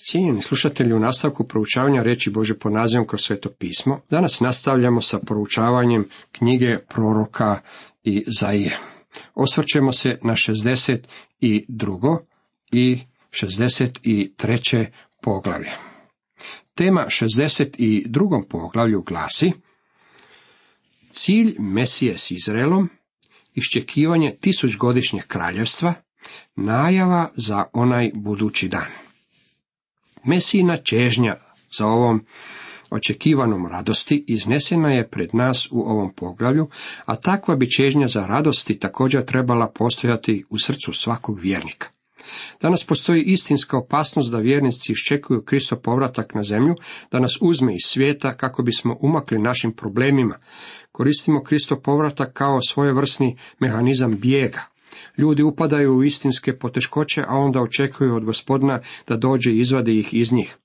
Cijenjeni slušatelji, u nastavku proučavanja riječi Božje pod nazivom kroz Sveto pismo, danas nastavljamo sa proučavanjem knjige proroka Izaije. Osvrćemo se na 62. i 63. poglavlje. Tema 62. poglavlju glasi: cilj Mesije s Izraelom, iščekivanje 1000-godišnjeg kraljevstva, najava za onaj budući dan. Mesijina čežnja za ovom očekivanom radosti iznesena je pred nas u ovom poglavlju, a takva bi čežnja za radosti također trebala postojati u srcu svakog vjernika. Danas postoji istinska opasnost da vjernici iščekuju Kristov povratak na zemlju, da nas uzme iz svijeta kako bismo umakli našim problemima. Koristimo Kristov povratak kao svojevrsni mehanizam bijega. Ljudi upadaju u istinske poteškoće, a onda očekuju od Gospodina da dođe i izvadi ih iz njih.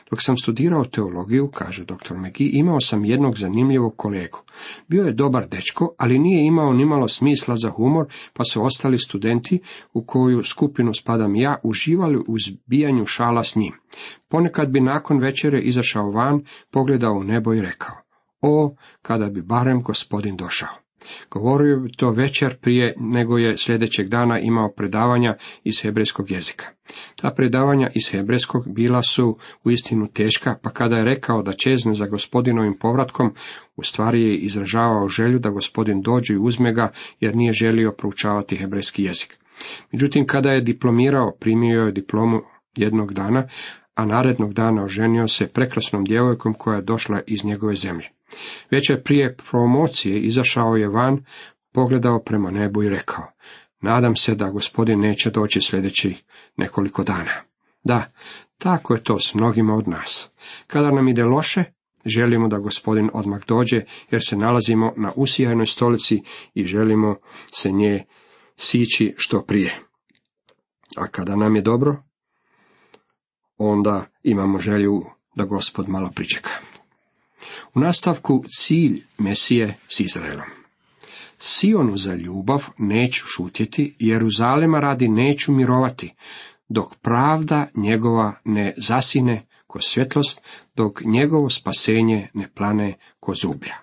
Dok sam studirao teologiju, kaže dr. McGee, imao sam jednog zanimljivog kolegu. Bio je dobar dečko, ali nije imao nimalo smisla za humor, pa su ostali studenti, u koju skupinu spadam ja, uživali u zbijanju šala s njim. Ponekad bi nakon večere izašao van, pogledao u nebo i rekao: o, kada bi barem Gospodin došao. Govorio bi to večer prije nego je sljedećeg dana imao predavanja iz hebrejskog jezika. Ta predavanja iz hebrejskog bila su uistinu teška, pa kada je rekao da čezne za Gospodinovim povratkom, u stvari je izražavao želju da Gospodin dođe i uzme ga, jer nije želio proučavati hebrejski jezik. Međutim, kada je diplomirao, primio je diplomu jednog dana, a narednog dana oženio se prekrasnom djevojkom koja je došla iz njegove zemlje. Večer prije promocije izašao je van, pogledao prema nebu i rekao: nadam se da Gospodin neće doći sljedećih nekoliko dana. Da, tako je to s mnogima od nas. Kada nam ide loše, želimo da Gospodin odmah dođe, jer se nalazimo na usijajnoj stolici i želimo se nje sići što prije. A kada nam je dobro, onda imamo želju da Gospod malo pričeka. U nastavku cilj Mesije s Izraelom. Sionu za ljubav neću šutjeti, Jeruzalema radi neću mirovati, dok pravda njegova ne zasine ko svjetlost, dok njegovo spasenje ne plane ko zublja.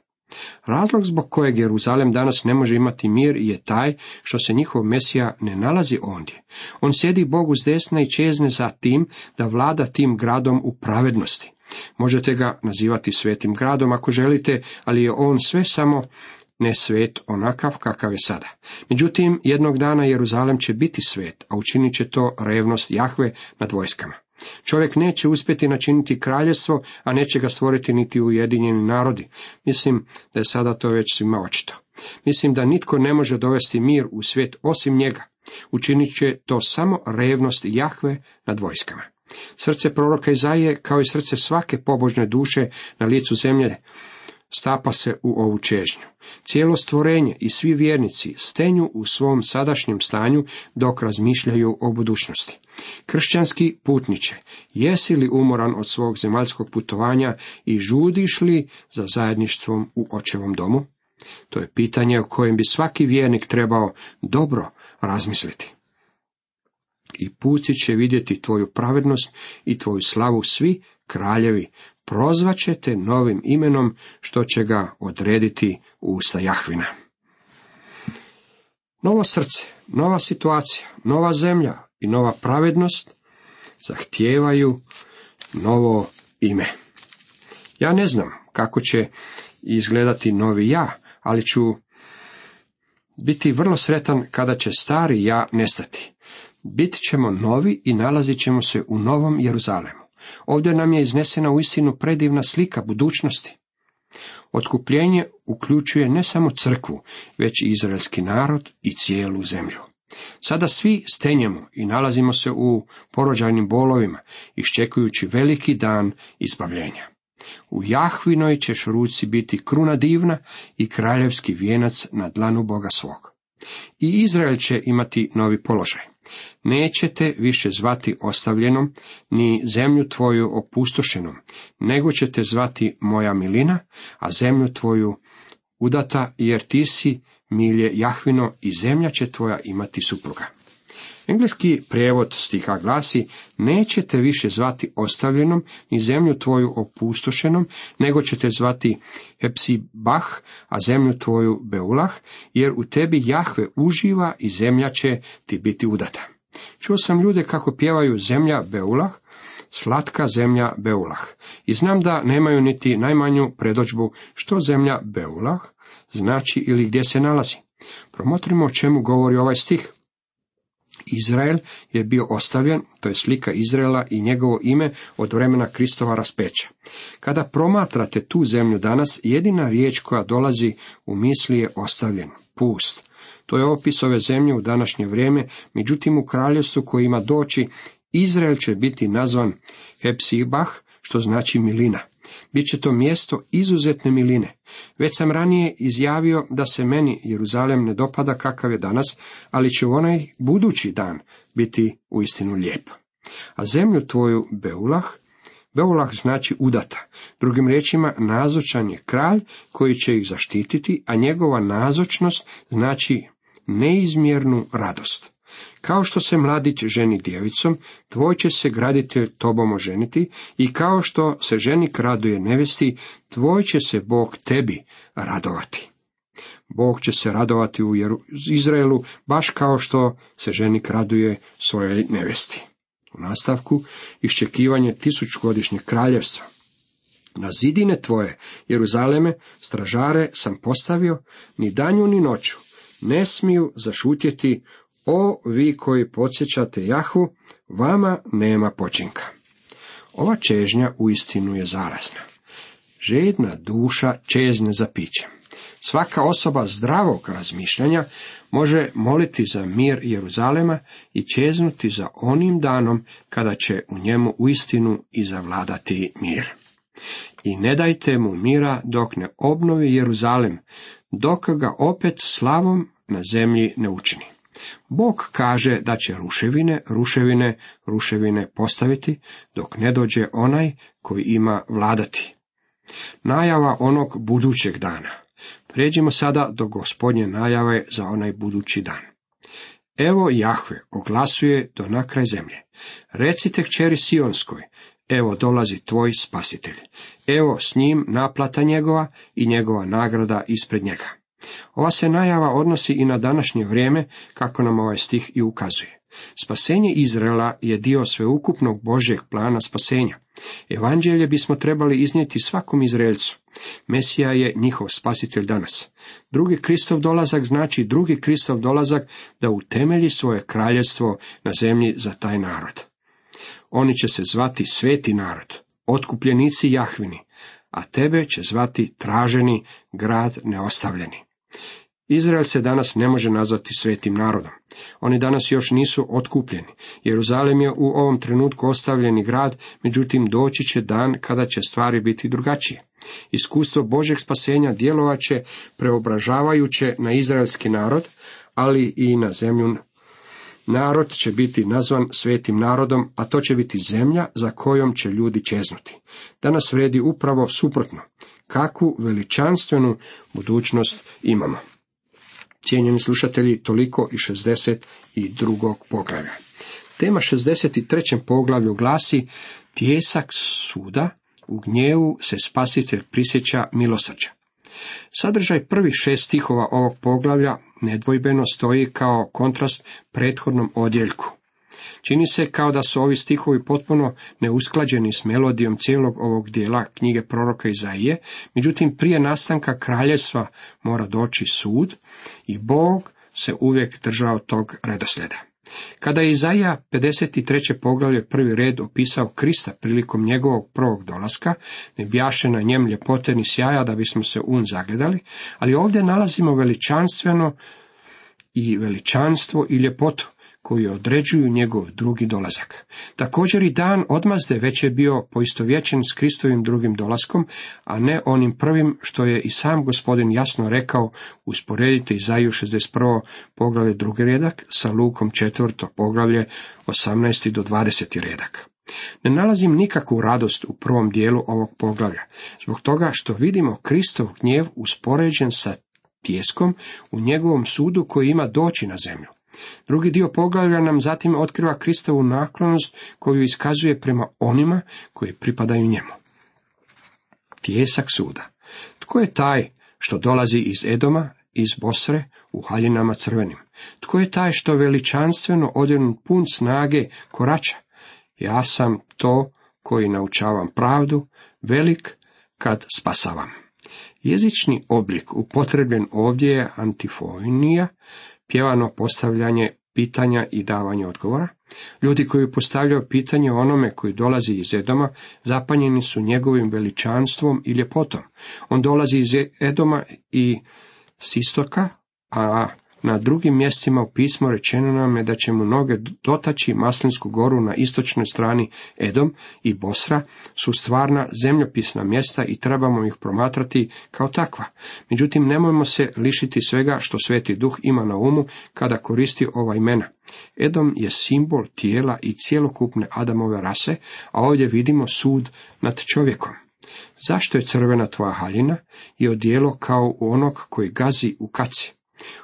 Razlog zbog kojeg Jeruzalem danas ne može imati mir je taj što se njihov Mesija ne nalazi ondje. On sjedi Bogu s desna i čezne za tim da vlada tim gradom u pravednosti. Možete ga nazivati svetim gradom ako želite, ali je on sve samo ne svet onakav kakav je sada. Međutim, jednog dana Jeruzalem će biti svet, a učinit će to revnost Jahve nad vojskama. Čovjek neće uspjeti načiniti kraljevstvo, a neće ga stvoriti niti ujedinjeni narodi. Mislim da je sada to već svima očito. Mislim da nitko ne može dovesti mir u svijet osim njega. Učinit će to samo revnost Jahve nad vojskama. Srce proroka Izaije, kao i srce svake pobožne duše na licu zemlje, stapa se u ovu čežnju. Cijelo stvorenje i svi vjernici stenju u svom sadašnjem stanju dok razmišljaju o budućnosti. Kršćanski putniče, jesi li umoran od svog zemaljskog putovanja i žudiš li za zajedništvom u Očevom domu? To je pitanje o kojem bi svaki vjernik trebao dobro razmisliti. I puci će vidjeti tvoju pravednost i tvoju slavu svi kraljevi, prozvaće te novim imenom što će ga odrediti u usta Jahvina. Novo srce, nova situacija, nova zemlja i nova pravednost zahtijevaju novo ime. Ja ne znam kako će izgledati novi ja, ali ću biti vrlo sretan kada će stari ja nestati. Bit ćemo novi i nalazit ćemo se u novom Jeruzalemu. Ovdje nam je iznesena uistinu predivna slika budućnosti. Otkupljenje uključuje ne samo crkvu, već i izraelski narod i cijelu zemlju. Sada svi stenjemo i nalazimo se u porođajnim bolovima, iščekujući veliki dan izbavljenja. U Jahvinoj ćeš ruci biti kruna divna i kraljevski vijenac na dlanu Boga svog. I Izrael će imati novi položaj. Nećete više zvati ostavljenom, ni zemlju tvoju opustošenom, nego ćete zvati moja milina, a zemlju tvoju udata, jer ti si milje Jahvino i zemlja će tvoja imati supruga. Engleski prijevod stiha glasi: nećete više zvati ostavljenom ni zemlju tvoju opustošenom, nego ćete zvati Hepsibah, a zemlju tvoju Beulah, jer u tebi Jahve uživa i zemlja će ti biti udata. Čuo sam ljude kako pjevaju zemlja Beulah, slatka zemlja Beulah, i znam da nemaju niti najmanju predodžbu što zemlja Beulah znači ili gdje se nalazi. Promotrimo o čemu govori ovaj stih. Izrael je bio ostavljen, to je slika Izraela i njegovo ime od vremena Kristova raspeća. Kada promatrate tu zemlju danas, jedina riječ koja dolazi u misli je ostavljen, pust. To je opis ove zemlje u današnje vrijeme, međutim u kraljevstvu koje ima doći, Izrael će biti nazvan Hepsibah, što znači milina. Biće to mjesto izuzetne miline. Već sam ranije izjavio da se meni Jeruzalem ne dopada kakav je danas, ali će u onaj budući dan biti uistinu lijep. A zemlju tvoju Beulah znači udata. Drugim riječima, nazočan je kralj koji će ih zaštititi, a njegova nazočnost znači neizmjernu radost. Kao što se mladić ženi djevicom, tvoj će se graditelj tobom oženiti, i kao što se ženik raduje nevesti, tvoj će se Bog tebi radovati. Bog će se radovati u Izraelu, baš kao što se ženik raduje svojoj nevesti. U nastavku, iščekivanje tisućgodišnjeg kraljevstva. Na zidine tvoje, Jeruzaleme, stražare sam postavio, ni danju ni noću ne smiju zašutjeti. O vi koji podsjećate Jahvu, vama nema počinka. Ova čežnja uistinu je zarazna. Žedna duša čezne za pićem. Svaka osoba zdravog razmišljanja može moliti za mir Jeruzalema i čeznuti za onim danom kada će u njemu uistinu i zavladati mir. I ne dajte mu mira dok ne obnovi Jeruzalem, dok ga opet slavom na zemlji ne učini. Bog kaže da će ruševine postaviti, dok ne dođe onaj koji ima vladati. Najava onog budućeg dana. Prijeđimo sada do Gospodnje najave za onaj budući dan. Evo Jahve oglasuje do nakraj zemlje. Recite kćeri Sionskoj, evo dolazi tvoj spasitelj. Evo s njim naplata njegova i njegova nagrada ispred njega. Ova se najava odnosi i na današnje vrijeme, kako nam ovaj stih i ukazuje. Spasenje Izraela je dio sveukupnog Božjeg plana spasenja. Evanđelje bismo trebali iznijeti svakom Izraelcu. Mesija je njihov spasitelj danas. Drugi Kristov dolazak znači drugi Kristov dolazak da utemelji svoje kraljevstvo na zemlji za taj narod. Oni će se zvati sveti narod, otkupljenici Jahvini, a tebe će zvati traženi grad neostavljeni. Izrael se danas ne može nazvati svetim narodom. Oni danas još nisu otkupljeni. Jeruzalem je u ovom trenutku ostavljeni grad, međutim doći će dan kada će stvari biti drugačije. Iskustvo Božjeg spasenja djelovat će preobražavajuće na izraelski narod, ali i na zemlju. Narod će biti nazvan svetim narodom, a to će biti zemlja za kojom će ljudi čeznuti. Danas vredi upravo suprotno. Kakvu veličanstvenu budućnost imamo. Cijenjeni slušatelji, toliko i 62. poglavlja. Tema 63. poglavlju glasi: tijesak suda, u gnjevu se spasitelj prisjeća milosrđa. Sadržaj prvih 6 stihova ovog poglavlja nedvojbeno stoji kao kontrast prethodnom odjeljku. Čini se kao da su ovi stihovi potpuno neusklađeni s melodijom cijelog ovog dijela knjige proroka Izaije, međutim prije nastanka kraljevstva mora doći sud i Bog se uvijek držao tog redoslijeda. Kada je Izaija 53. poglavlje prvi red opisao Krista prilikom njegovog prvog dolaska, ne bjaše na njem ljepote ni sjaja da bismo se zagledali, ali ovdje nalazimo veličanstvo i ljepotu koji određuju njegov drugi dolazak. Također i dan odmazde već je bio poistovjećen s Kristovim drugim dolaskom, a ne onim prvim, što je i sam Gospodin jasno rekao. Usporedite Izaiju 61. poglavlje 2. redak sa Lukom 4. poglavlje 18. do 20. redak. Ne nalazim nikakvu radost u prvom dijelu ovog poglavlja, zbog toga što vidimo Kristov gnjev uspoređen sa tijeskom u njegovom sudu koji ima doći na zemlju. Drugi dio poglavlja nam zatim otkriva Kristovu naklonost koju iskazuje prema onima koji pripadaju njemu. Tijesak suda. Tko je taj što dolazi iz Edoma, iz Bosre, u haljinama crvenim? Tko je taj što veličanstveno odjenut pun snage korača? Ja sam to koji naučavam pravdu, velik kad spasavam. Jezični oblik upotrebljen ovdje je antifonija, pjevano postavljanje pitanja i davanje odgovora. Ljudi koji postavljaju pitanje onome koji dolazi iz Edoma, zapanjeni su njegovim veličanstvom i ljepotom. On dolazi iz Edoma i s istoka, a na drugim mjestima u pismu rečeno nam je da će mu noge dotaći Maslinsku goru na istočnoj strani. Edom i Bosra su stvarna zemljopisna mjesta i trebamo ih promatrati kao takva. Međutim, nemojmo se lišiti svega što Sveti Duh ima na umu kada koristi ova imena. Edom je simbol tijela i cjelokupne Adamove rase, a ovdje vidimo sud nad čovjekom. Zašto je crvena tvoja haljina i odijelo kao u onog koji gazi u kaci?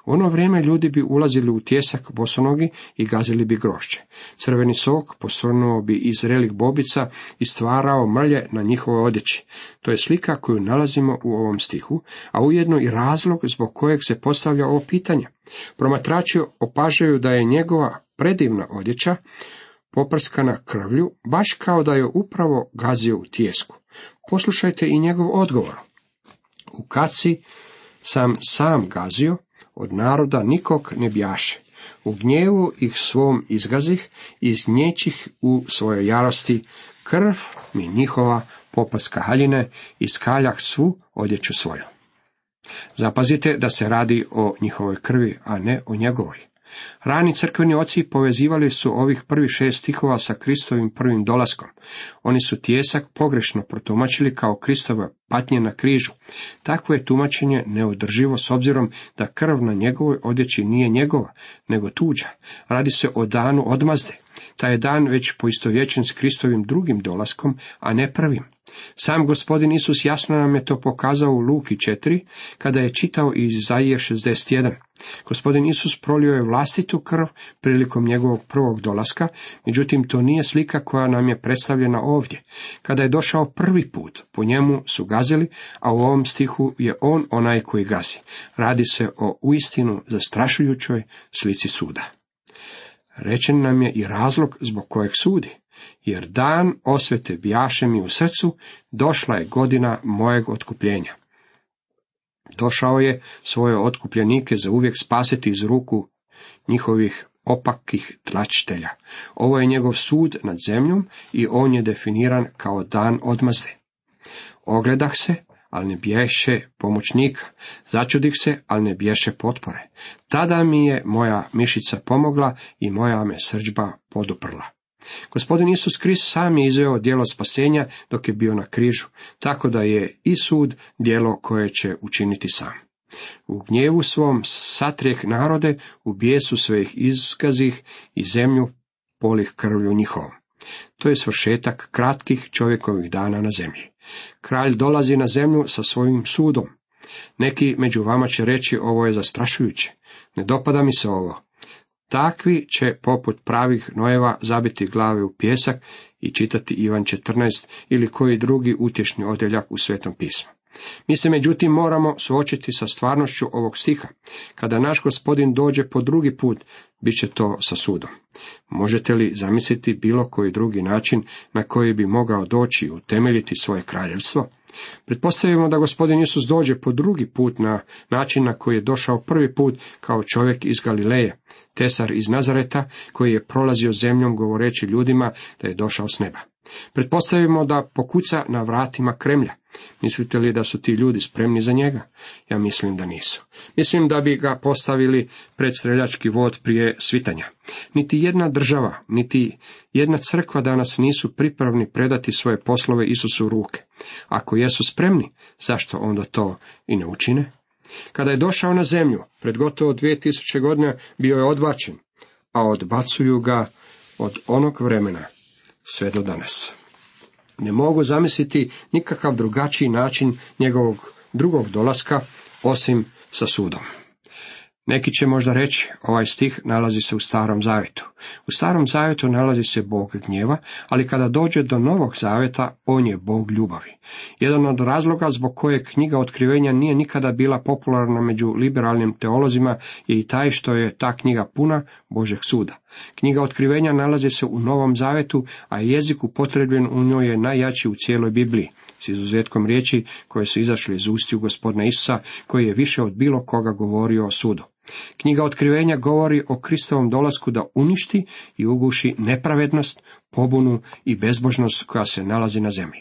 U ono vrijeme ljudi bi ulazili u tijesak bosonogi i gazili bi grožđe. Crveni sok posrnuo bi iz zrelih bobica i stvarao mrlje na njihovoj odjeći. To je slika koju nalazimo u ovom stihu, a ujedno i razlog zbog kojeg se postavlja ovo pitanje. Promatrači opažaju da je njegova predivna odjeća poprskana krvlju, baš kao da je upravo gazio u tijesku. Poslušajte i njegov odgovor. U kaci sam gazio, od naroda nikog ne bjaše. U gnjevu ih svom izgazih, izgnjećih u svojoj jarosti, krv mi njihova poprska haljine, iskaljah svu odjeću svoju. Zapazite da se radi o njihovoj krvi, a ne o njegovoj. Rani crkveni oci povezivali su ovih prvih 6 stihova sa Kristovim prvim dolaskom. Oni su tijesak pogrešno protumačili kao Kristove patnje na križu. Takvo je tumačenje neodrživo s obzirom da krv na njegovoj odjeći nije njegova, nego tuđa. Radi se o danu odmazde. Taj je dan već poistovjećen s Kristovim drugim dolaskom, a ne prvim. Sam Gospodin Isus jasno nam je to pokazao u Luki 4, kada je čitao iz Izaije 61. Gospodin Isus prolio je vlastitu krv prilikom njegovog prvog dolaska, međutim to nije slika koja nam je predstavljena ovdje. Kada je došao prvi put, po njemu su gazili, a u ovom stihu je on onaj koji gazi. Radi se o uistinu zastrašujućoj slici suda. Rečen nam je i razlog zbog kojeg sudi. Jer dan osvete bjaše mi u srcu, došla je godina mojeg otkupljenja. Došao je svoje otkupljenike za uvijek spasiti iz ruku njihovih opakih tlačitelja. Ovo je njegov sud nad zemljom i on je definiran kao dan odmazde. Ogledah se, ali ne bješe pomoćnika. Začudih se, ali ne bješe potpore. Tada mi je moja mišica pomogla i moja me srdžba poduprla. Gospodin Isus Krist sam je izveo djelo spasenja dok je bio na križu, tako da je i sud djelo koje će učiniti sam. U gnjevu svom satrijeh narode, u bijesu svojih izgazih i zemlju polih krvlju njihovom. To je svršetak kratkih čovjekovih dana na zemlji. Kralj dolazi na zemlju sa svojim sudom. Neki među vama će reći, ovo je zastrašujuće. Ne dopada mi se ovo. Takvi će poput pravih nojeva zabiti glave u pijesak i čitati Ivan 14 ili koji drugi utješni odjeljak u Svetom pismu. Mi se međutim moramo suočiti sa stvarnošću ovog stiha. Kada naš Gospodin dođe po drugi put, bit će to sa sudom. Možete li zamisliti bilo koji drugi način na koji bi mogao doći i utemeljiti svoje kraljevstvo? Pretpostavimo da Gospodin Isus dođe po drugi put na način na koji je došao prvi put kao čovjek iz Galileje, tesar iz Nazareta koji je prolazio zemljom govoreći ljudima da je došao s neba. Pretpostavimo da pokuca na vratima Kremlja. Mislite li da su ti ljudi spremni za njega? Ja mislim da nisu. Mislim da bi ga postavili pred streljački vod prije svitanja. Niti jedna država, niti jedna crkva danas nisu pripravni predati svoje poslove Isusu u ruke. Ako jesu spremni, zašto onda to i ne učine? Kada je došao na zemlju, pred gotovo 2000 godina bio je odbačen, a odbacuju ga od onog vremena sve do danas. Ne mogu zamisliti nikakav drugačiji način njegovog drugog dolaska, osim sa sudom. Neki će možda reći, ovaj stih nalazi se u Starom zavjetu. U Starom zavjetu nalazi se Bog gnjeva, ali kada dođe do Novog zavjeta, on je Bog ljubavi. Jedan od razloga zbog kojeg knjiga Otkrivenja nije nikada bila popularna među liberalnim teolozima je i taj što je ta knjiga puna Božeg suda. Knjiga Otkrivenja nalazi se u Novom zavjetu, a jezik upotrebljen u njoj je najjači u cijeloj Bibliji, s izuzetkom riječi koje su izašle iz ustiju Gospodina Isusa, koji je više od bilo koga govorio o sudu. Knjiga Otkrivenja govori o Kristovom dolasku da uništi i uguši nepravednost, pobunu i bezbožnost koja se nalazi na zemlji.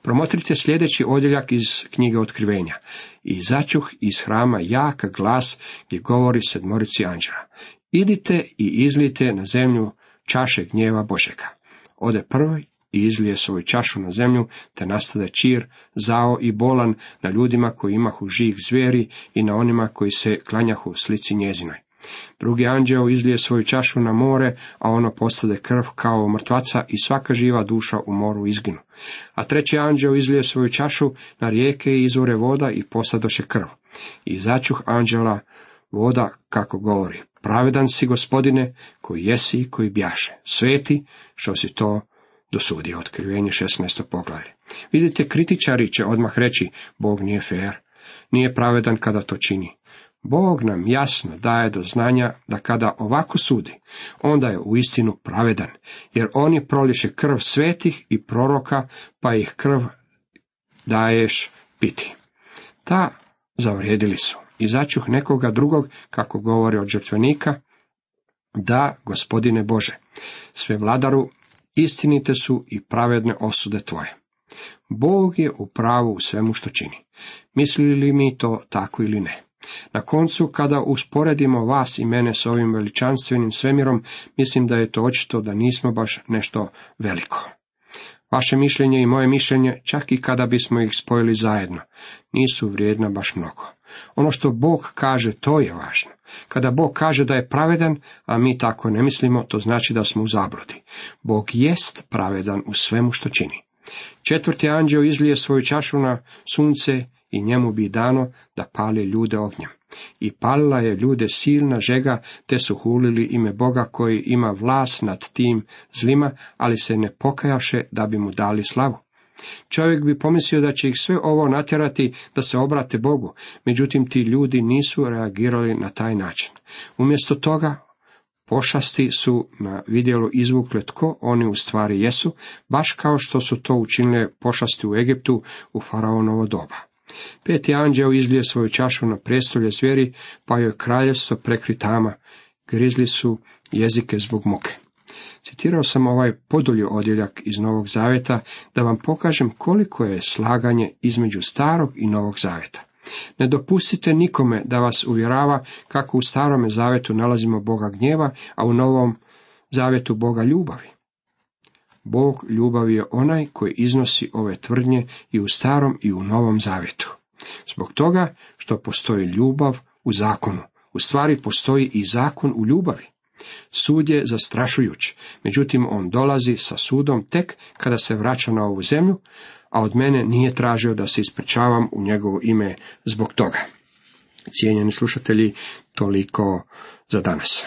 Promotrite sljedeći odjeljak iz knjige Otkrivenja. I začuh iz hrama jak glas gdje govori 7 anđela. Idite i izlijte na zemlju čaše gnjeva Božega. Ode prvi i izlije svoju čašu na zemlju, te nastade čir, zao i bolan na ljudima koji imahu žig zvijeri i na onima koji se klanjahu slici njezinoj. Drugi anđeo izlije svoju čašu na more, a ono postade krv kao mrtvaca i svaka živa duša u moru izginu. A treći anđeo izlije svoju čašu na rijeke i izvore voda i postadoše krv. I začuh anđela voda kako govori, pravedan si Gospodine, koji jesi i koji bjaše, sveti što si to dosudio. Otkrivenje 16. poglavlje. Vidite, kritičari će odmah reći, Bog nije fer, nije pravedan kada to čini. Bog nam jasno daje do znanja da kada ovako sudi, onda je uistinu pravedan, jer oni proliše krv svetih i proroka, pa ih krv daješ piti. Ta zavrijedili su. I začuh nekoga drugog, kako govori od žrtvenika, da, Gospodine Bože, sve vladaru, istinite su i pravedne osude tvoje. Bog je u pravu u svemu što čini. Mislili li mi to tako ili ne? Na koncu, kada usporedimo vas i mene s ovim veličanstvenim svemirom, mislim da je to očito da nismo baš nešto veliko. Vaše mišljenje i moje mišljenje, čak i kada bismo ih spojili zajedno, nisu vrijedna baš mnogo. Ono što Bog kaže, to je važno. Kada Bog kaže da je pravedan, a mi tako ne mislimo, to znači da smo u zabludi. Bog jest pravedan u svemu što čini. 4. anđeo izlije svoju čašu na sunce i njemu bi dano da pali ljude ognjem. I palila je ljude silna žega, te su hulili ime Boga koji ima vlast nad tim zlima, ali se ne pokajaše da bi mu dali slavu. Čovjek bi pomislio da će ih sve ovo natjerati da se obrate Bogu, međutim ti ljudi nisu reagirali na taj način. Umjesto toga, pošasti su na vidjelo izvukle tko oni u stvari jesu, baš kao što su to učinile pošasti u Egiptu u faraonovo doba. 5. anđeo izlije svoju čašu na prijestolje zvijeri, pa joj kraljevstvo prekri tama, grizli su jezike zbog muke. Citirao sam ovaj podulji odjeljak iz Novog zavjeta da vam pokažem koliko je slaganje između Starog i Novog zavjeta. Ne dopustite nikome da vas uvjerava kako u Starome zavjetu nalazimo Boga gnjeva, a u Novom zavjetu Boga ljubavi. Bog ljubavi je onaj koji iznosi ove tvrdnje i u Starom i u Novom zavjetu. Zbog toga što postoji ljubav u zakonu, u stvari postoji i zakon u ljubavi. Sud je zastrašujuć, međutim on dolazi sa sudom tek kada se vraća na ovu zemlju, a od mene nije tražio da se ispričavam u njegovo ime zbog toga. Cijenjeni slušatelji, toliko za danas.